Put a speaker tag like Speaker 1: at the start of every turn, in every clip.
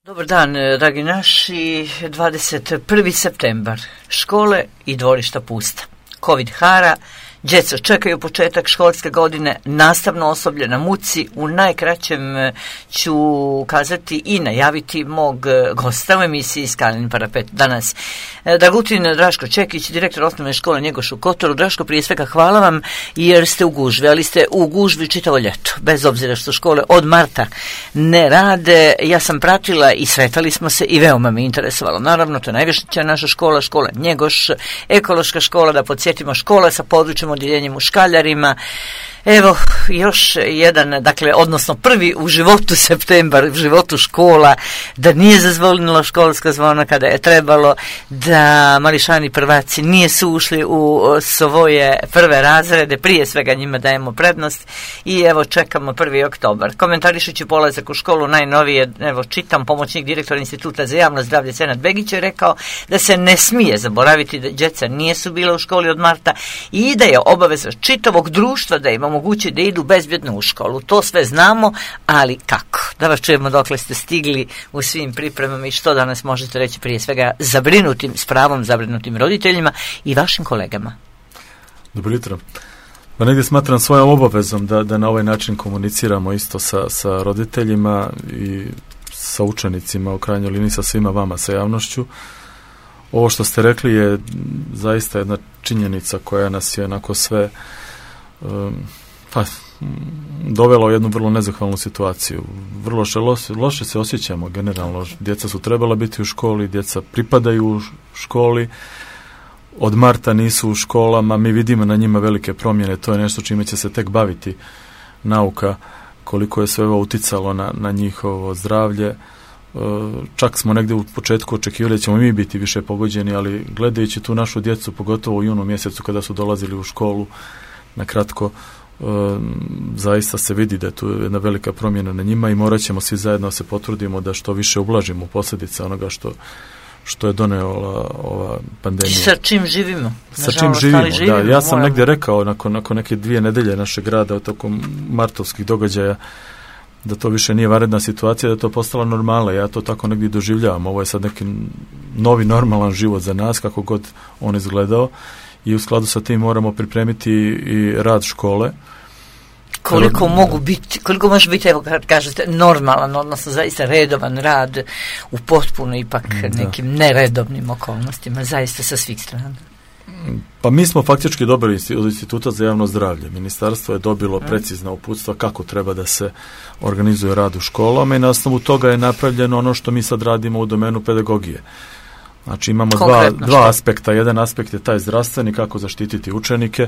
Speaker 1: Dobar dan, dragi naši, 21. septembar, škole i dvorišta pusta. Covid hara, djeca čekaju početak školske godine, nastavno osoblje na muci. U najkraćem ću kazati i najaviti mog gosta u emisiji Skalin parapet danas. Dragutin Draško Čekić, direktor osnovne škole Njegoš u Kotoru. Draško, prije svega hvala vam jer ste u gužvi, ali ste u gužvi čitavo ljeto, bez obzira što škole od marta ne rade. Ja sam pratila i sretali smo se i veoma me interesovalo. Naravno, to je najviša naša škola, škola Njegoš, ekološka škola, da podsjetimo, škola sa područjem odjeljenjem u Škaljarima. Evo, još jedan, dakle, odnosno prvi u životu septembar, u životu škola, da nije zazvonilo školska zvona kada je trebalo, da mališani prvaci nisu ušli u svoje prve razrede, prije svega njima dajemo prednost i evo čekamo 1. oktobar. Komentarišući polazak u školu najnovije, evo čitam, pomoćnik direktora Instituta za javno zdravlje Senad Begić je rekao da se ne smije zaboraviti da djeca nisu bila u školi od marta i da je obaveza čitavog društva da im omogući da idu bezbjedno u školu. To sve znamo, ali kako? Da vas čujemo dokle ste stigli u svim pripremama i što danas možete reći prije svega zabrinutim, s pravom zabrinutim roditeljima i vašim kolegama.
Speaker 2: Dobro jutro. Pa negdje smatram svojom obavezom da na ovaj način komuniciramo isto sa roditeljima i sa učenicima, u krajnjoj liniji sa svima vama, sa javnošću. Ovo što ste rekli je zaista jedna činjenica koja nas je onako sve dovela u jednu vrlo nezahvalnu situaciju. Vrlo loše se osjećamo generalno. Djeca su trebala biti u školi, djeca pripadaju u školi, od marta nisu u školama, mi vidimo na njima velike promjene, to je nešto čime će se tek baviti nauka, koliko je sve ovo uticalo na njihovo zdravlje. Čak smo negdje u početku očekivali da ćemo mi biti više pogođeni, ali gledajući tu našu djecu, pogotovo u junu mjesecu kada su dolazili u školu, na kratko, zaista se vidi da je tu jedna velika promjena na njima i morat ćemo svi zajedno se potrudimo da što više ublažimo posljedice onoga što je donijela ova pandemija.
Speaker 1: Sa čim živimo?
Speaker 2: Sa čim živimo, da. Ja sam negdje rekao nakon neke 2 nedelje našeg rada tokom martovskih događaja da to više nije vanredna situacija, da je to postala normala. Ja to tako negdje doživljavam. Ovo je sad neki novi normalan život za nas, kako god on izgledao. I u skladu sa tim moramo pripremiti i rad škole.
Speaker 1: Koliko može biti, evo kad kažete, normalan, odnosno zaista redovan rad u potpuno ipak nekim neredovnim okolnostima, zaista sa svih strana?
Speaker 2: Pa mi smo faktički dobili od Instituta za javno zdravlje. Ministarstvo je dobilo precizna uputstva kako treba da se organizuje rad u školama i na osnovu toga je napravljeno ono što mi sad radimo u domenu pedagogije. Znači imamo dva aspekta. Jedan aspekt je taj zdravstveni, kako zaštititi učenike,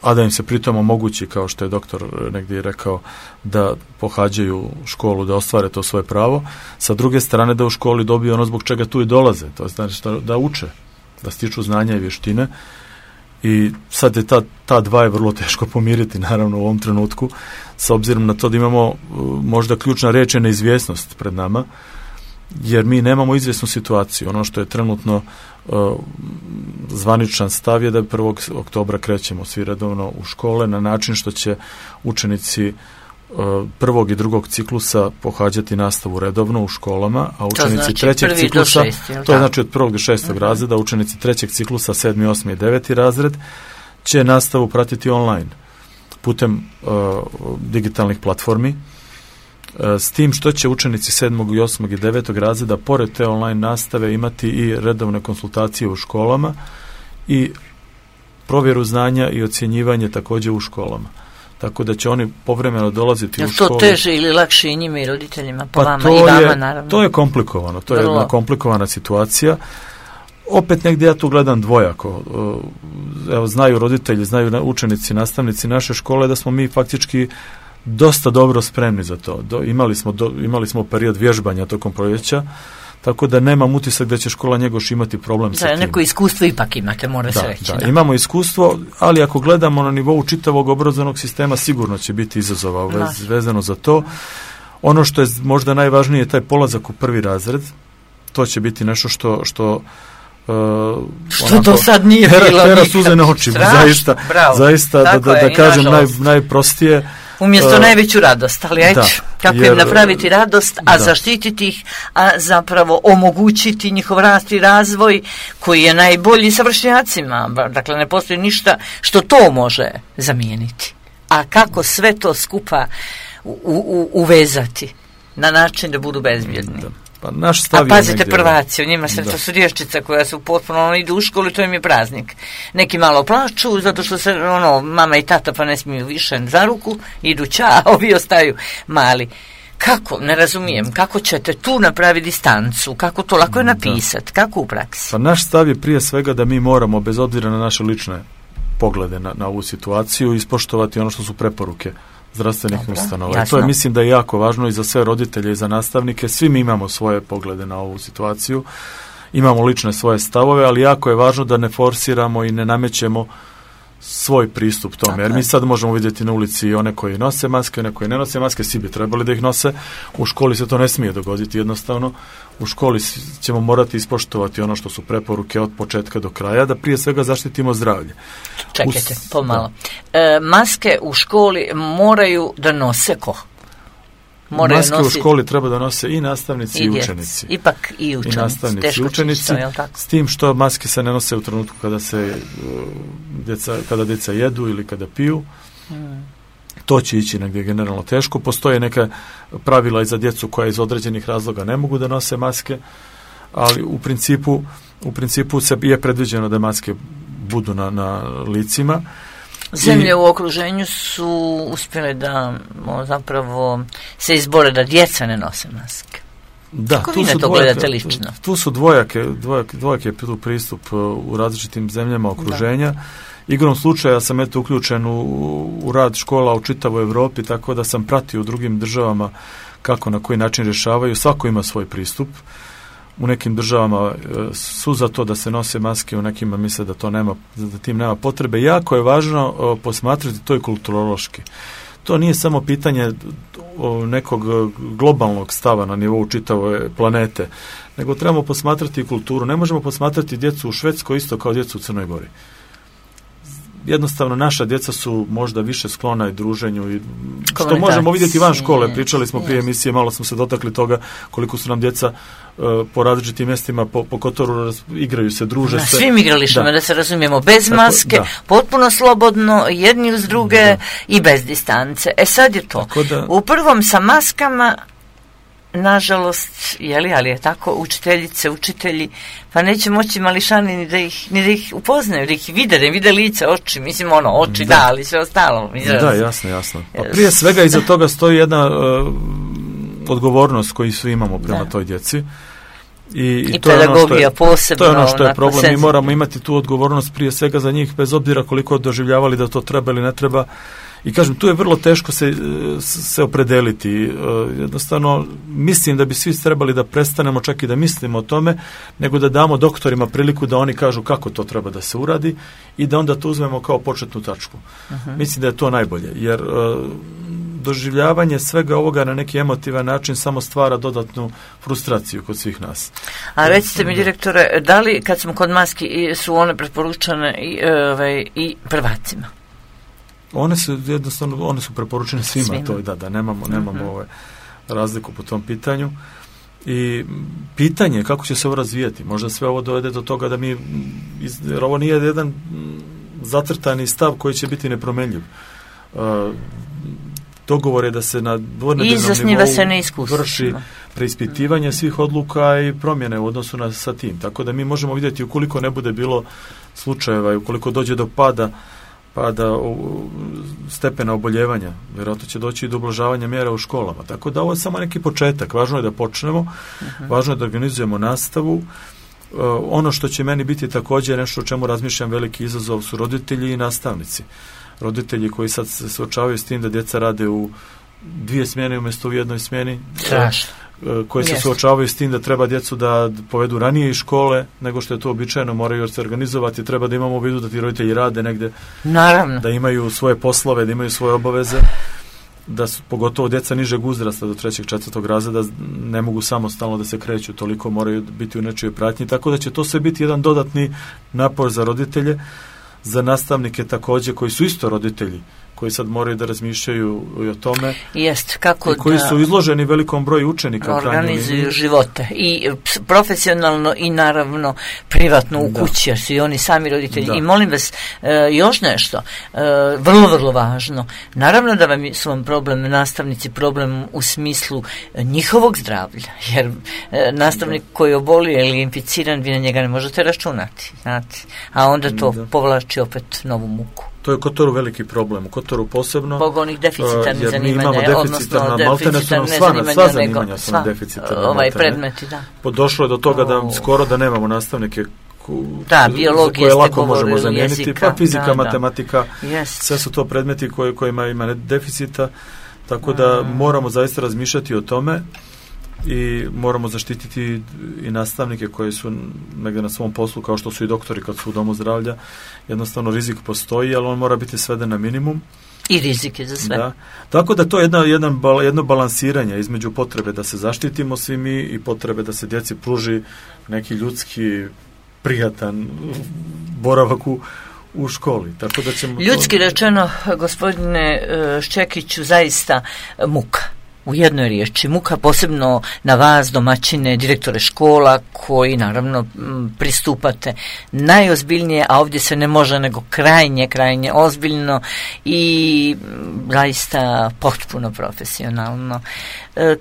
Speaker 2: a da im se pritom omogući, kao što je doktor negdje rekao, da pohađaju školu, da ostvare to svoje pravo. Sa druge strane da u školi dobiju ono zbog čega tu i dolaze. To znači da uče, da stiču znanja i vještine. I sad je ta dva je vrlo teško pomiriti, naravno, u ovom trenutku, s obzirom na to da imamo možda ključna riječ je neizvjesnost pred nama, jer mi nemamo izvjesnu situaciju. Ono što je trenutno zvaničan stav je da 1. oktobra krećemo svi redovno u škole na način što će učenici 1. i 2. ciklusa pohađati nastavu redovno u školama, a učenici 3. ciklusa, to je znači od 1. do 6. razreda, učenici 3. ciklusa, 7., 8. i 9. razred će nastavu pratiti online putem digitalnih platformi, s tim što će učenici 7., 8. i 9. razreda pored te online nastave imati i redovne konsultacije u školama i provjeru znanja i ocjenjivanje također u školama. Tako da će oni povremeno dolaziti u školu. Je to
Speaker 1: teže ili lakše i njima i roditeljima, po vama i vama naravno?
Speaker 2: To je komplikovano, to je jedna komplikovana situacija. Opet negdje ja tu gledam dvojako. Evo, znaju roditelji, znaju učenici, nastavnici naše škole da smo mi faktički dosta dobro spremni za to. Imali smo period vježbanja tokom proljeća, tako da nemam utisak da će škola Njegoš imati problem sa tim.
Speaker 1: Neko iskustvo ipak imate, mora se reći.
Speaker 2: Da, imamo iskustvo, ali ako gledamo na nivou čitavog obrazovnog sistema, sigurno će biti izazova vezano za to. Ono što je možda najvažnije je taj polazak u 1. razred. To će biti nešto što
Speaker 1: do sad nije bilo
Speaker 2: pera suze na očima, zaista da kažem najprostije.
Speaker 1: Umjesto najveću radost, ali ajde, kako im napraviti radost, a zaštititi ih, a zapravo omogućiti njihov rast i razvoj koji je najbolji sa vršnjacima. Dakle, ne postoji ništa što to može zamijeniti. A kako sve to skupa uvezati na način da budu bezbjedni?
Speaker 2: Pa naš stav
Speaker 1: pazite prvaci, u njima to su djevčica koja su potpuno idu u školu i to im je praznik. Neki malo plaču zato što se mama i tata pa ne smiju više za ruku, idu a ovi ostaju mali. Kako? Ne razumijem. Kako ćete tu napraviti distancu? Kako to lako je napisati? Kako u praksi?
Speaker 2: Pa naš stav je prije svega da mi moramo, bez obzira na naše lične poglede na ovu situaciju, ispoštovati ono što su preporuke zdravstvenih ustanova. I to je, mislim da je jako važno i za sve roditelje i za nastavnike. Svi mi imamo svoje poglede na ovu situaciju, imamo lične svoje stavove, ali jako je važno da ne forsiramo i ne namećemo svoj pristup tome. Jer mi sad možemo vidjeti na ulici i one koji nose maske, one koji ne nose maske, svi bi trebali da ih nose. U školi se to ne smije dogoditi jednostavno. U školi ćemo morati ispoštovati ono što su preporuke od početka do kraja, da prije svega zaštitimo zdravlje.
Speaker 1: Čekajte, pomalo. Maske u školi moraju da nose ko?
Speaker 2: Maske u školi treba da nose i nastavnici i učenici.
Speaker 1: Ipak i učenici.
Speaker 2: I nastavnici i učenici, s tim što maske se ne nose u trenutku kada djeca jedu ili kada piju. To će ići negdje generalno teško. Postoje neka pravila i za djecu koja iz određenih razloga ne mogu da nose maske, ali u principu se je predviđeno da maske budu na licima.
Speaker 1: Zemlje u okruženju su uspjele da zapravo se izbore da djeca ne nose maske.
Speaker 2: Da,
Speaker 1: kako vi na to gledate lično?
Speaker 2: Tu su dvojak je pristup u različitim zemljama okruženja. Da. Igrom slučaja sam uključen u rad škola u čitavoj Europi, tako da sam pratio u drugim državama kako na koji način rješavaju. Svako ima svoj pristup. U nekim državama su za to da se nose maske, u nekima misle da tim nema potrebe. Jako je važno posmatrati to i kulturološki. To nije samo pitanje nekog globalnog stava na nivou čitave planete, nego trebamo posmatrati i kulturu. Ne možemo posmatrati djecu u Švedskoj isto kao djecu u Crnoj Gori. Jednostavno naša djeca su možda više sklona i druženju i što možemo vidjeti van škole. Pričali smo prije emisije, malo smo se dotakli toga koliko su nam djeca po različitim mjestima po Kotoru igraju se, druže se. Na svim
Speaker 1: igralištima, da se razumijemo, bez maske, potpuno slobodno, jedni uz druge i bez distance. Sad je to. U prvom sa maskama, nažalost, ali je tako, učiteljice, učitelji, pa neće moći mališani ni da ih upoznaju, da ih vide, da im vide lice, oči, mislim oči, ali sve ostalo.
Speaker 2: Da, jasno. Pa prije svega iza toga stoji jedna odgovornost koju svi imamo prema toj djeci. I to
Speaker 1: pedagogija posebno.
Speaker 2: To je ono što je problem. Mi moramo imati tu odgovornost prije svega za njih, bez obzira koliko doživljavali da to treba ili ne treba. I kažem, tu je vrlo teško se opredeliti. Jednostavno, mislim da bi svi trebali da prestanemo čak i da mislimo o tome, nego da damo doktorima priliku da oni kažu kako to treba da se uradi i da onda to uzmemo kao početnu tačku. Mislim da je to najbolje, jer doživljavanje svega ovoga na neki emotivan način samo stvara dodatnu frustraciju kod svih nas.
Speaker 1: A recite mi, direktore, da li kad smo kod maski su one preporučene i prvacima?
Speaker 2: One su preporučene svima. To je da nemamo razliku po tom pitanju. I pitanje je kako će se ovo razvijati. Možda sve ovo dovede do toga da jer ovo nije jedan zacrtani stav koji će biti nepromenljiv. Dogovor je da se na dvornedeljnom nivou vrši preispitivanje svih odluka i promjene u odnosu sa tim. Tako da mi možemo vidjeti ukoliko ne bude bilo slučajeva i ukoliko dođe do pada stepena oboljevanja, vjerojatno će doći i do ublažavanja mjera u školama. Tako da ovo je samo neki početak. Važno je da počnemo, važno je da organizujemo nastavu. Ono što će meni biti također nešto o čemu razmišljam veliki izazov su roditelji i nastavnici. Roditelji koji sad se suočavaju s tim da djeca rade u 2 smjene umjesto u 1 smjeni. Koji se suočavaju s tim da treba djecu da povedu ranije iz škole nego što je to običajno, moraju se organizovati, treba da imamo u vidu da ti roditelji rade negde,
Speaker 1: naravno,
Speaker 2: da imaju svoje poslove, da imaju svoje obaveze, da su pogotovo djeca nižeg uzrasta do 3. 4. razreda ne mogu samostalno da se kreću, toliko moraju biti u nečijoj pratnji, tako da će to sve biti jedan dodatni napor za roditelje, za nastavnike također koji su isto roditelji, koji sad moraju da razmišljaju i o tome.
Speaker 1: Jest, kako
Speaker 2: i koji su izloženi velikom broju učenika.
Speaker 1: Organizuju živote i profesionalno i naravno privatno u kući, jer su i oni sami roditelji. I molim vas, još nešto, vrlo, vrlo važno. Naravno da su vam problem nastavnici, problem u smislu njihovog zdravlja, jer nastavnik koji oboli ili je inficiran, vi na njega ne možete računati, znate. A onda to povlači opet novu muku.
Speaker 2: To je u Kotoru veliki problem. U Kotoru posebno...
Speaker 1: Zbog onih deficitarnih zanimanja,
Speaker 2: odnosno deficitarne sva zanimanja su nam deficitarne.
Speaker 1: Predmeti, da.
Speaker 2: Došlo je do toga da skoro da nemamo nastavnike
Speaker 1: biologije
Speaker 2: koje lako možemo zamijeniti, jezika, pa fizika, matematika,
Speaker 1: yes.
Speaker 2: Sve su to predmeti kojima ima deficita, tako da moramo zaista razmišljati o tome i moramo zaštititi i nastavnike koji su negdje na svom poslu, kao što su i doktori kad su u domu zdravlja. Jednostavno rizik postoji, ali on mora biti sveden na minimum.
Speaker 1: I rizik je za sve.
Speaker 2: Da. Tako da to je jedno balansiranje između potrebe da se zaštitimo svi mi i potrebe da se djeci pruži neki ljudski prijatan boravak u školi. Tako da ćemo
Speaker 1: ljudski rečeno, gospodine Ščekiću, zaista muka. U jednoj riječi, muka, posebno na vas, domaćine, direktore škola, koji naravno pristupate najozbiljnije, a ovdje se ne može nego krajnje ozbiljno i zaista potpuno profesionalno.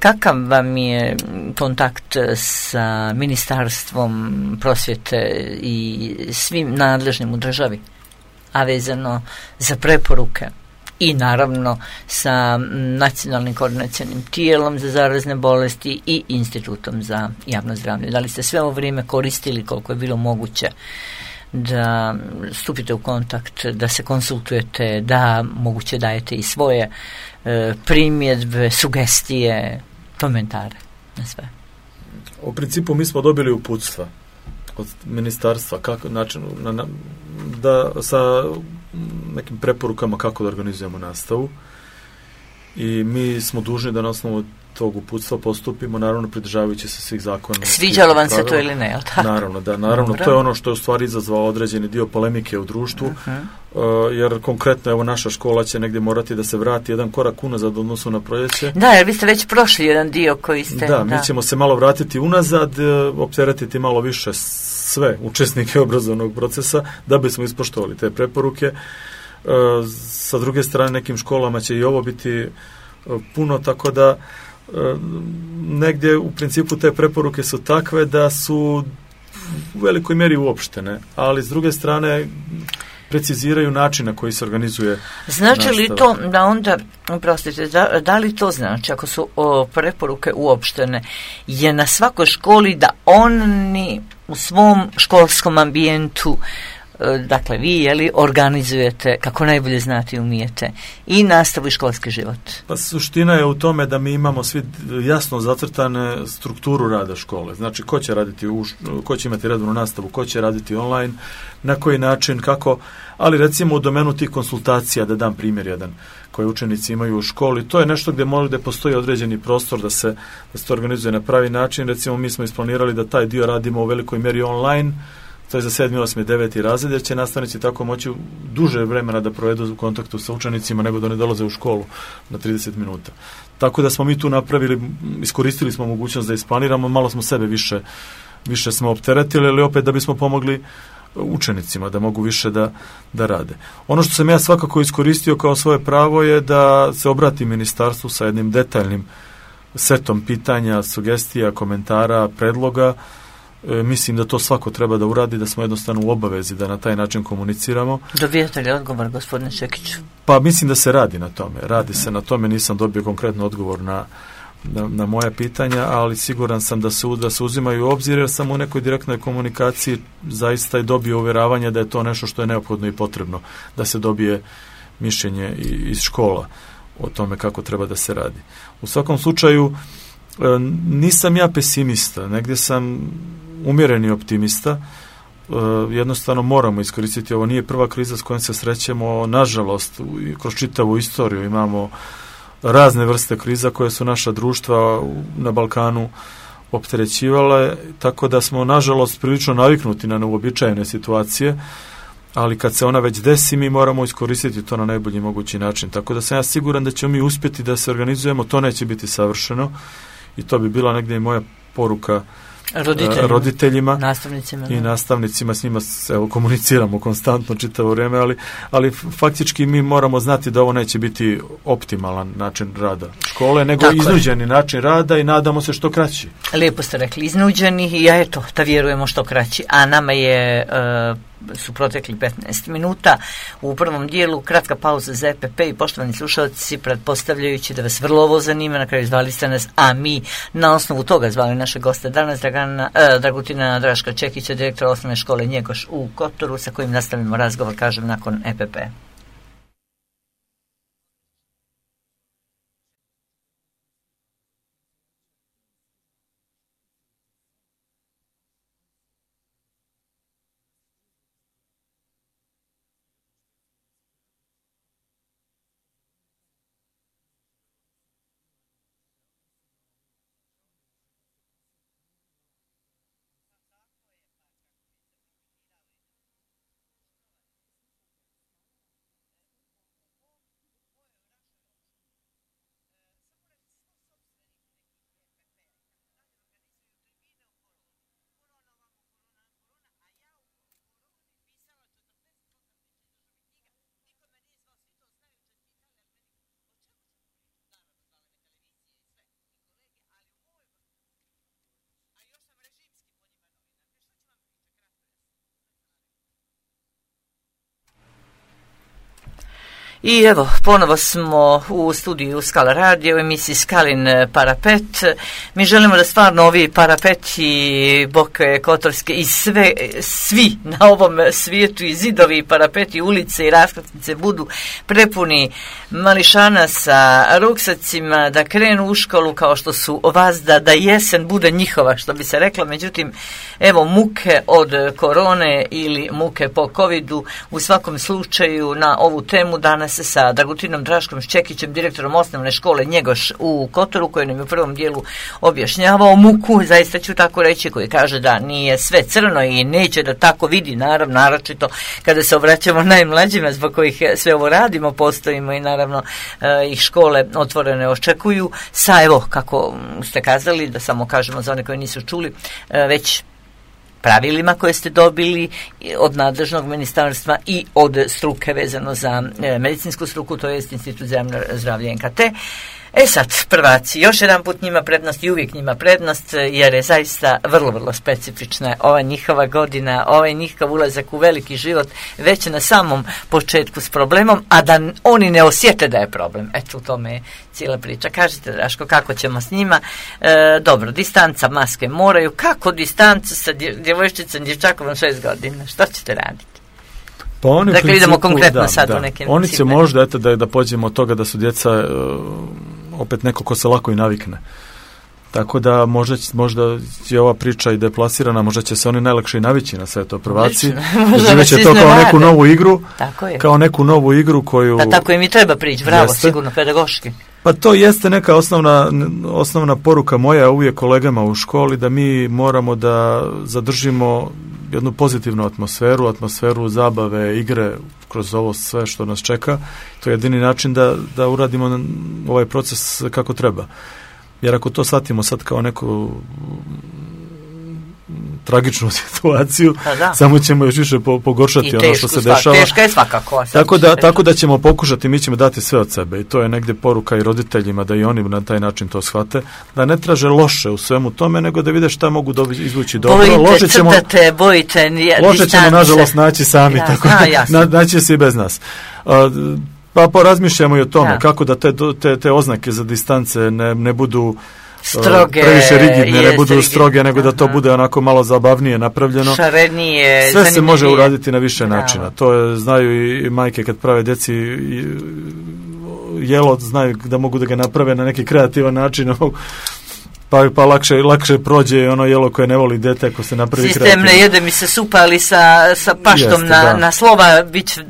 Speaker 1: Kakav vam je kontakt sa Ministarstvom prosvjete i svim nadležnim u državi, a vezano za preporuke? I naravno sa nacionalnim koordinacionim tijelom za zarazne bolesti i institutom za javno zdravlje. Da li ste sve ovo vrijeme koristili koliko je bilo moguće da stupite u kontakt, da se konsultujete, da moguće dajete i svoje primjedbe, sugestije, komentare na sve?
Speaker 2: U principu mi smo dobili uputstva od ministarstva kako način da sa nekim preporukama kako da organizujemo nastavu i mi smo dužni da na osnovu tog uputstva postupimo, naravno pridržavajući se svih zakona.
Speaker 1: Sviđalo vam se to ili ne, jel tako?
Speaker 2: Naravno, to je ono što je u stvari izazvalo određeni dio polemike u društvu, jer konkretno evo naša škola će negdje morati da se vrati jedan korak unazad u odnosu na proljeće.
Speaker 1: Da, jer vi ste već prošli jedan dio koji ste...
Speaker 2: Da, mi ćemo se malo vratiti unazad, opteretiti malo više sve učesnike obrazovnog procesa da bismo ispoštovali te preporuke. Sa druge strane, nekim školama će i ovo biti puno, tako da negdje u principu te preporuke su takve da su u velikoj mjeri uopštene, ali s druge strane preciziraju način na koji se organizuje
Speaker 1: Znači
Speaker 2: nastava.
Speaker 1: li to da onda, prostite, da li to znači, ako su preporuke uopštene, je na svakoj školi da oni u svom školskom ambijentu, dakle vi organizujete kako najbolje znate i umijete i nastavu i školski život?
Speaker 2: Pa suština je u tome da mi imamo svi jasno zacrtane strukturu rada škole. Znači ko će imati redovnu nastavu, ko će raditi online, na koji način, kako, ali recimo u domenu tih konsultacija, da dam primjer jedan koje učenici imaju u školi, to je nešto gdje postoji određeni prostor da se to organizuje na pravi način. Recimo mi smo isplanirali da taj dio radimo u velikoj mjeri online. To je za 7., 8., 9. razred, jer će nastavnici tako moći duže vremena da provedu u kontaktu sa učenicima nego da ne dolaze u školu na 30 minuta. Tako da smo mi tu iskoristili smo mogućnost da isplaniramo, malo smo sebe više smo opteretili, ali opet da bismo pomogli učenicima da mogu više da rade. Ono što sam ja svakako iskoristio kao svoje pravo je da se obratim ministarstvu sa jednim detaljnim setom pitanja, sugestija, komentara, predloga. Mislim da to svako treba da uradi, da smo jednostavno u obavezi da na taj način komuniciramo.
Speaker 1: Dobijete li odgovor, gospodine Ščekiću?
Speaker 2: Pa mislim da se radi na tome. Radi se na tome, nisam dobio konkretno odgovor na moja pitanja, ali siguran sam da se uzimaju u obzir, jer sam u nekoj direktnoj komunikaciji zaista i dobio uvjeravanje da je to nešto što je neophodno i potrebno, da se dobije mišljenje iz škola o tome kako treba da se radi. U svakom slučaju, nisam ja pesimista, negdje sam umjereni optimista. Jednostavno moramo iskoristiti, ovo nije prva kriza s kojom se srećemo, nažalost kroz čitavu istoriju imamo razne vrste kriza koje su naša društva na Balkanu opterećivale, tako da smo nažalost prilično naviknuti na neuobičajene situacije, ali kad se ona već desi, mi moramo iskoristiti to na najbolji mogući način. Tako da sam ja siguran da ćemo mi uspjeti da se organizujemo, to neće biti savršeno i to bi bila negdje i moja poruka roditeljima
Speaker 1: nastavnicima,
Speaker 2: i nastavnicima, s njima komuniciramo konstantno čitavo vrijeme, ali faktički mi moramo znati da ovo neće biti optimalan način rada škole, nego iznuđeni način rada i nadamo se što kraći.
Speaker 1: Lijepo ste rekli, iznuđeni i da vjerujemo što kraći, a nama su protekli 15 minuta. U prvom dijelu kratka pauza za EPP i poštovani slušalci, pretpostavljajući da vas vrlo ovo zanima, na kraju zvali ste nas, a mi na osnovu toga zvali naše goste danas, Dragutina Draška Čekića, direktora osnovne škole Njegoš u Kotoru, sa kojim nastavimo razgovor, kažem, nakon EPP. I evo, ponovo smo u studiju Skala Radio, u emisiji Skalin parapet. Mi želimo da stvarno ovi parapeti Boke Kotorske i svi na ovom svijetu i zidovi i parapeti, ulice i raskrsnice budu prepuni mališana sa ruksacima, da krenu u školu kao što su vazda, da jesen bude njihova, što bi se reklo. Međutim, evo, muke od korone ili muke po covidu, u svakom slučaju na ovu temu danas sa Dragutinom Draškom Čekićem, direktorom osnovne škole Njegoš u Kotoru, koji nam je u prvom dijelu objašnjavao muku, zaista ću tako reći, koji kaže da nije sve crno i neće da tako vidi, naravno, naročito kada se obraćamo najmlađima zbog kojih sve ovo radimo, postojimo i naravno ih škole otvorene očekuju, sa, evo, kako ste kazali, da samo kažemo za one koji nisu čuli, već pravilima koje ste dobili od nadležnog ministarstva i od struke vezano za medicinsku struku, to je Institut za javno zdravlje NKT. Sad, prvaci, još jedan put njima prednost i uvijek njima prednost, jer je zaista vrlo, vrlo specifična ova njihova godina, ovaj njihov ulazak u veliki život već na samom početku s problemom, a da oni ne osjete da je problem. Eto, u tome je cijela priča. Kažite, Draško, kako ćemo s njima? Dobro, distanca, maske moraju. Kako distancu sa djevojčicom, djevčakom 6 godina? Što ćete raditi?
Speaker 2: Pa oni
Speaker 1: dakle, idemo konkretno sad u nekim
Speaker 2: oni će možda, eto, da pođemo od toga da su djeca opet neko ko se lako i navikne. Tako da možda je ova priča i deplasirana, možda će se oni najlakše i navići na sve to, prvaci. Doživjet će to kao neku novu igru. Kao neku novu igru koju...
Speaker 1: Pa tako im i treba prići, bravo, jeste. Sigurno, pedagoški.
Speaker 2: Pa to jeste neka osnovna poruka moja uvijek kolegama u školi, da mi moramo da zadržimo jednu pozitivnu atmosferu zabave, igre kroz ovo sve što nas čeka. To je jedini način da uradimo ovaj proces kako treba. Jer ako to shvatimo sad kao neku tragičnu situaciju, samo ćemo još više pogoršati ono što se dešava.
Speaker 1: Teška je svakako.
Speaker 2: Tako da ćemo pokušati, mi ćemo dati sve od sebe i to je negdje poruka i roditeljima da i oni na taj način to shvate, da ne traže loše u svemu tome, nego da vide šta mogu izvući dobro.
Speaker 1: Loše ćemo
Speaker 2: nažalost naći sami, tako naći se i bez nas. Pa porazmišljamo i o tome kako da te oznake za distance ne budu
Speaker 1: stroge,
Speaker 2: previše rigidne, ne budu stroge, nego da to bude onako malo zabavnije napravljeno.
Speaker 1: Šarenije,
Speaker 2: sve se može uraditi na više načina. To znaju i majke kad prave djeci jelo, znaju da mogu da ga naprave na neki kreativan način. Pa lakše prođe ono jelo koje ne voli dete ako se napravi kreativno.
Speaker 1: Sistem ne jede mi se supa, ali sa paštom na slova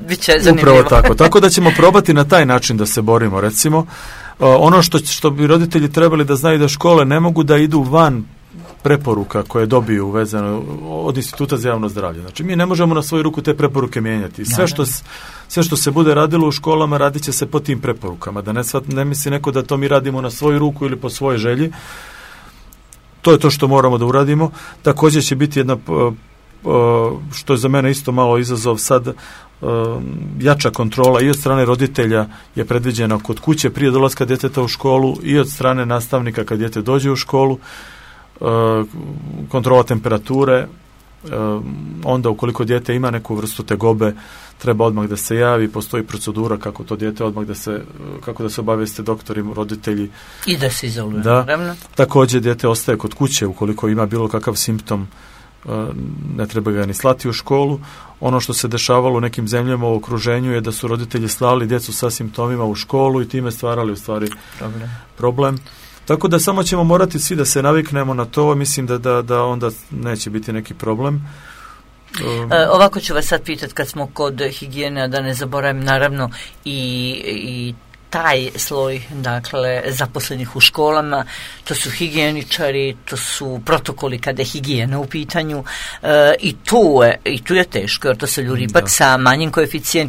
Speaker 1: bit će zanimljivo.
Speaker 2: Upravo tako da ćemo probati na taj način da se borimo, recimo. Ono što bi roditelji trebali da znaju, da škole ne mogu da idu van preporuka koje dobiju vezano od Instituta za javno zdravlje. Znači, mi ne možemo na svoju ruku te preporuke mijenjati. Sve što se bude radilo u školama radit će se po tim preporukama. Da ne misli neko da to mi radimo na svoju ruku ili po svojoj želji. To je to što moramo da uradimo. Također će biti jedna, što je za mene isto malo izazov sad, jača kontrola i od strane roditelja je predviđena kod kuće prije dolaska djeteta u školu i od strane nastavnika kad dijete dođe u školu, kontrola temperature, onda ukoliko dijete ima neku vrstu tegobe treba odmah da se javi, postoji procedura kako to dijete odmah kako da se obavijeste doktori, roditelji
Speaker 1: i da se izoluje.
Speaker 2: Također dijete ostaje kod kuće ukoliko ima bilo kakav simptom, ne treba ga ni slati u školu. Ono što se dešavalo u nekim zemljama u okruženju je da su roditelji slali djecu sa simptomima u školu i time stvarali u stvari problem. Tako da samo ćemo morati svi da se naviknemo na to, mislim da onda neće biti neki problem.
Speaker 1: Ovako ću vas sad pitati kad smo kod higijene, da ne zaboravim naravno i taj sloj, dakle, zaposlenih u školama, to su higijeničari, to su protokoli kada je higijena u pitanju, i tu je teško, jer to se ljudi ipak sa manjim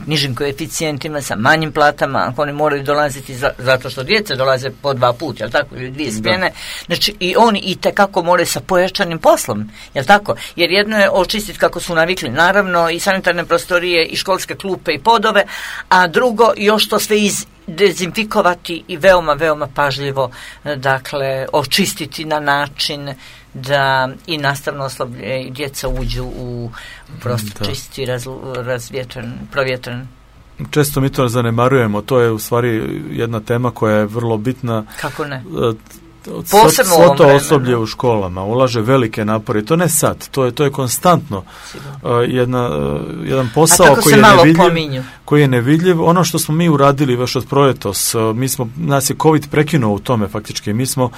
Speaker 1: nižim koeficijentima, sa manjim platama, ako oni moraju dolaziti zato što djeca dolaze po 2 puta, jel tako, ili 2 smjene, znači i oni itekako moraju sa pojačanim poslom, jel tako, jer jedno je očistiti kako su navikli, naravno, i sanitarne prostorije, i školske klupe, i podove, a drugo, još to sve dezinfikovati i veoma, veoma pažljivo, dakle, očistiti na način da i nastavno osoblje i djeca uđu u prostor čisti, provjetran.
Speaker 2: Često mi to zanemarujemo, to je u stvari jedna tema koja je vrlo bitna.
Speaker 1: Kako ne?
Speaker 2: Posebno svo to osoblje u školama ulaže velike napore, to ne sad, to je konstantno jedan posao koji je nevidljiv. Ono što smo mi uradili još od proletos, nas je COVID prekinuo u tome faktički. Mi smo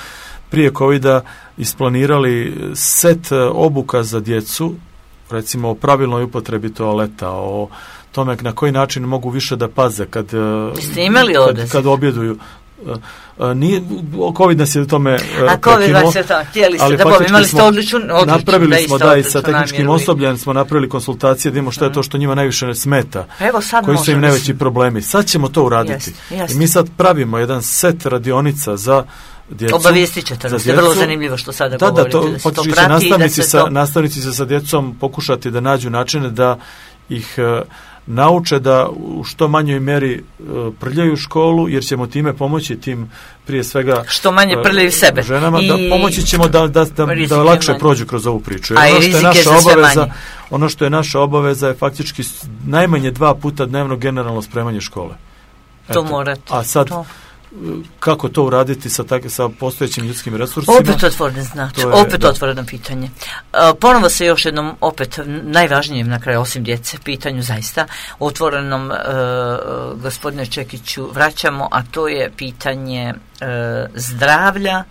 Speaker 2: prije COVID-a isplanirali set obuka za djecu, recimo o pravilnoj upotrebi toaleta, o tome na koji način mogu više da paze kad objeduju. COVID nas je u tome prekinuo, ali napravili smo da i sa tehničkim osobljem smo napravili konsultacije da imamo što je to što njima najviše smeta, koji su im najveći problemi. Sad ćemo to uraditi. I mi sad pravimo jedan set radionica za djecu.
Speaker 1: Obavijestit ćete nas, je vrlo zanimljivo što sada govorite.
Speaker 2: Da, faktički će nastavnici sa djecom pokušati da nađu načine da ih nauče da u što manjoj mjeri prljaju školu, jer ćemo time pomoći tim prije svega
Speaker 1: što manje prljaju sebe
Speaker 2: ženama, da pomoći ćemo da lakše prođu kroz ovu priču. Ono što je naša obaveza je faktički najmanje 2 puta dnevno generalno spremanje škole.
Speaker 1: To morate.
Speaker 2: A sad kako to uraditi sa postojećim ljudskim resursima?
Speaker 1: Opet otvoreno pitanje. Ponovo se još jednom, opet najvažnijem na kraju, osim djece, pitanju zaista otvorenom, gospodine Čekiću, vraćamo, a to je pitanje zdravlja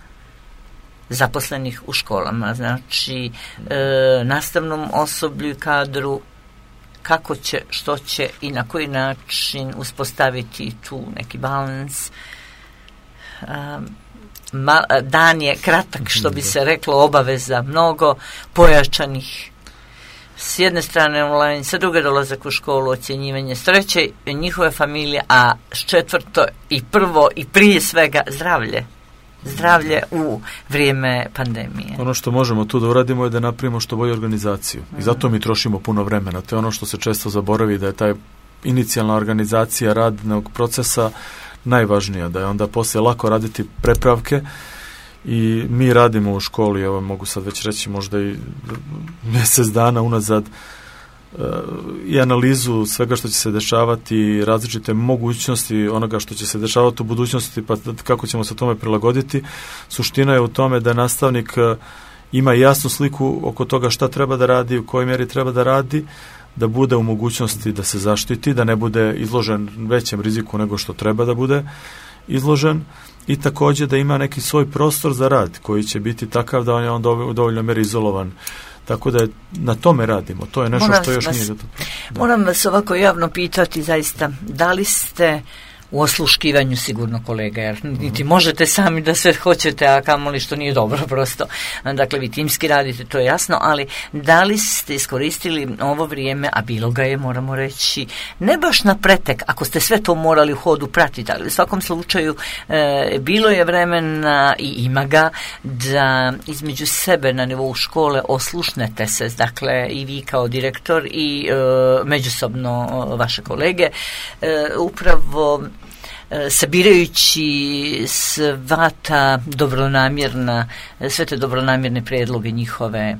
Speaker 1: zaposlenih u školama. Znači, nastavnom osoblju i kadru, kako će, što će i na koji način uspostaviti tu neki balans. Dan je kratak, što bi se reklo, obaveza mnogo, pojačanih, s jedne strane online, sa druge dolazak u školu, ocjenjivanje, s treće njihove familije, a s četvrto i prvo i prije svega zdravlje u vrijeme pandemije.
Speaker 2: Ono što možemo tu da uradimo je da napravimo što bolju organizaciju. I zato mi trošimo puno vremena. To je ono što se često zaboravi, da je taj inicijalna organizacija radnog procesa najvažnija, da je onda poslije lako raditi prepravke. I mi radimo u školi, evo mogu sad već reći možda i mjesec dana unazad, i analizu svega što će se dešavati, različite mogućnosti onoga što će se dešavati u budućnosti, pa kako ćemo se tome prilagoditi. Suština je u tome da nastavnik ima jasnu sliku oko toga šta treba da radi, u kojoj mjeri treba da radi, da bude u mogućnosti da se zaštiti, da ne bude izložen većem riziku nego što treba da bude izložen, i također da ima neki svoj prostor za rad koji će biti takav da on je onda u dovoljnoj mjeri izolovan. Tako da na tome radimo. To je nešto što još nije.
Speaker 1: Moram vas ovako javno pitati zaista, da li ste u osluškivanju sigurno kolega, jer niti možete sami da sve hoćete, a kamoli što nije dobro prosto. Dakle, vi timski radite, to je jasno, ali da li ste iskoristili ovo vrijeme, a bilo ga je, moramo reći, ne baš na pretek, ako ste sve to morali u hodu pratiti, ali u svakom slučaju bilo je vremena i ima ga da između sebe na nivou škole oslušnete se, dakle i vi kao direktor i međusobno vaše kolege, upravo sabirajući sve te dobronamjerne prijedloge njihove,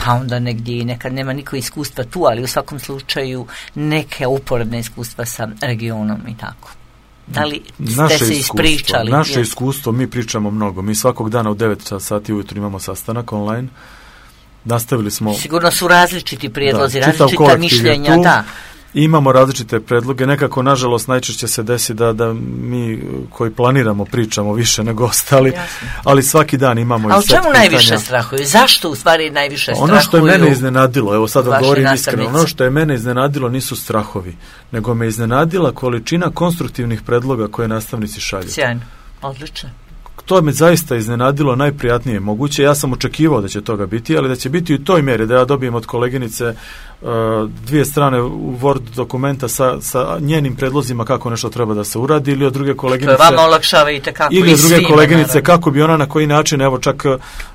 Speaker 1: pa onda negdje i nekad nema niko iskustva tu, ali u svakom slučaju neke uporedne iskustva sa regionom i tako. Da li ste se ispričali?
Speaker 2: Naše iskustvo, mi pričamo mnogo. Mi svakog dana u 9 sati ujutro imamo sastanak online. Nastavili smo...
Speaker 1: Sigurno su različiti prijedlozi, različita mišljenja, da.
Speaker 2: Imamo različite predloge, nekako nažalost najčešće se desi da mi koji planiramo pričamo više nego ostali, ali svaki dan imamo i set pitanja. A o čemu najviše strahuju? Zašto u stvari najviše strahuju? Ono što je mene iznenadilo, evo sad vam govorim iskreno, ono što je mene iznenadilo nisu strahovi, nego me iznenadila količina konstruktivnih predloga koje nastavnici šalju.
Speaker 1: Sjajno, odlično.
Speaker 2: To me zaista iznenadilo najprijatnije moguće. Ja sam očekivao da će toga biti, ali da će biti u toj mjeri da ja dobijem od koleginice 2 strane u Word dokumenta sa njenim predlozima kako nešto treba da se uradi, ili od druge koleginice...
Speaker 1: To je vama olakšava i tekako i svima.
Speaker 2: Ili od druge koleginice kako bi ona na koji način, evo čak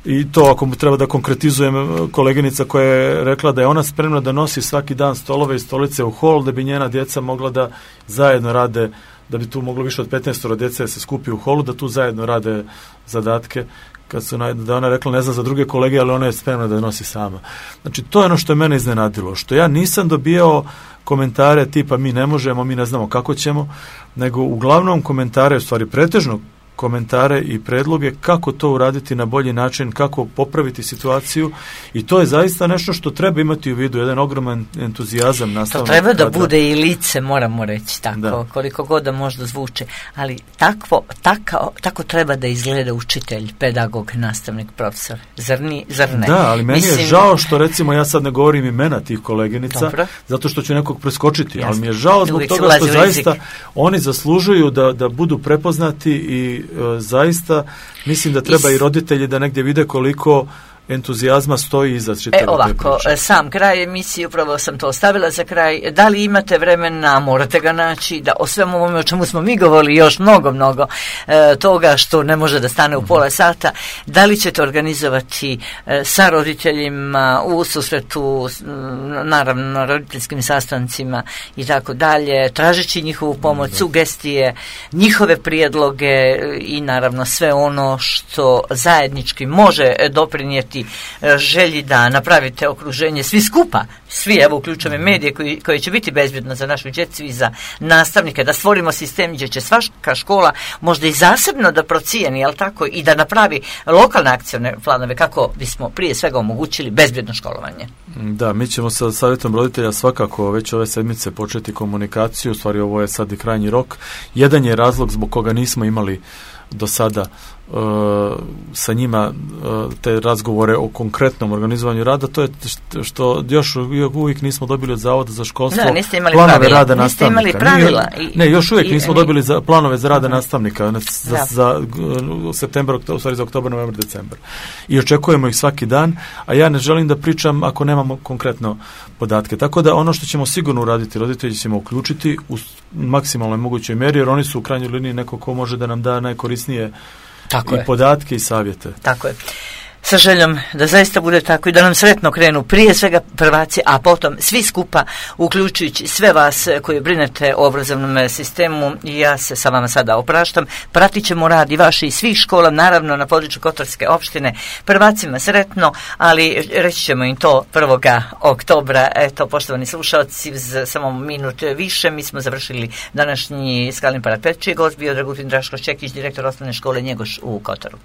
Speaker 2: i to ako treba da konkretizujem, koleginica koja je rekla da je ona spremna da nosi svaki dan stolove i stolice u hol, da bi njena djeca mogla da zajedno rade, da bi tu moglo više od 15 djece se skupi u holu, da tu zajedno rade zadatke. Kad su da ona rekla, ne znam za druge kolege, ali ona je spremna da nosi sama. Znači, to je ono što je mene iznenadilo, što ja nisam dobijao komentare tipa mi ne možemo, mi ne znamo kako ćemo, nego uglavnom komentare, u stvari pretežno komentare i predloge kako to uraditi na bolji način, kako popraviti situaciju, i to je zaista nešto što treba imati u vidu, jedan ogroman entuzijazam nastavnog.
Speaker 1: To treba da bude i lice, moramo reći tako, da. Koliko god da možda zvuči, ali tako treba da izgleda učitelj, pedagog, nastavnik, profesor. Zar ne?
Speaker 2: Da, ali meni je žao što, recimo, ja sad ne govorim imena tih koleginica, dobro, zato što ću nekog preskočiti, jasne, ali mi je žao zbog toga što zaista oni zaslužuju da budu prepoznati i zaista mislim da treba i roditelji da negdje vide koliko entuzijazma stoji iza čitave te priče.
Speaker 1: Sam kraj emisije, upravo sam to ostavila za kraj. Da li imate vremena, morate ga naći, da o svemu ovome o čemu smo mi govorili još mnogo toga što ne može da stane u pola sata, da li ćete organizovati sa roditeljima u susretu, naravno na roditeljskim sastancima i tako dalje, tražeći njihovu pomoć, sugestije, njihove prijedloge i naravno sve ono što zajednički može doprinijeti želji da napravite okruženje svi skupa, svi, evo uključujem medije koje će biti bezbjedno za našu djecu i za nastavnike, da stvorimo sistem gdje će svaka škola možda i zasebno da procijeni, jel tako, i da napravi lokalne akcione planove kako bismo prije svega omogućili bezbjedno školovanje.
Speaker 2: Da, mi ćemo sa savjetom roditelja svakako već ove sedmice početi komunikaciju, u stvari ovo je sad i krajnji rok. Jedan je razlog zbog koga nismo imali do sada sa njima te razgovore o konkretnom organizovanju rada, to je što još uvijek nismo dobili od Zavoda za školstvo planove rada nastavnika. Još uvijek nismo dobili planove za rada nastavnika za septembar, u stvari za oktobar, novembar, decembar. I očekujemo ih svaki dan, a ja ne želim da pričam ako nemamo konkretno podatke. Tako da ono što ćemo sigurno uraditi, roditelji ćemo uključiti u maksimalnoj mogućoj mjeri, jer oni su u krajnjoj liniji neko ko može da nam da najkorisnije podatke i savjete. Tako je.
Speaker 1: Sa željom da zaista bude tako i da nam sretno krenu prije svega prvaci, a potom svi skupa, uključujući sve vas koji brinete o obrazovnom sistemu. I ja se sa vama sada opraštam. Pratit ćemo rad i vaši i svih škola, naravno na području Kotorske opštine. Prvacima sretno, ali reći ćemo im to 1. oktobra. Eto, poštovani slušalci, samo minut više, mi smo završili današnji Skalni parad Pečije. Gost bio Dragutin Draškoš Čekić, direktor osnovne škole Njegoš u Kotoru.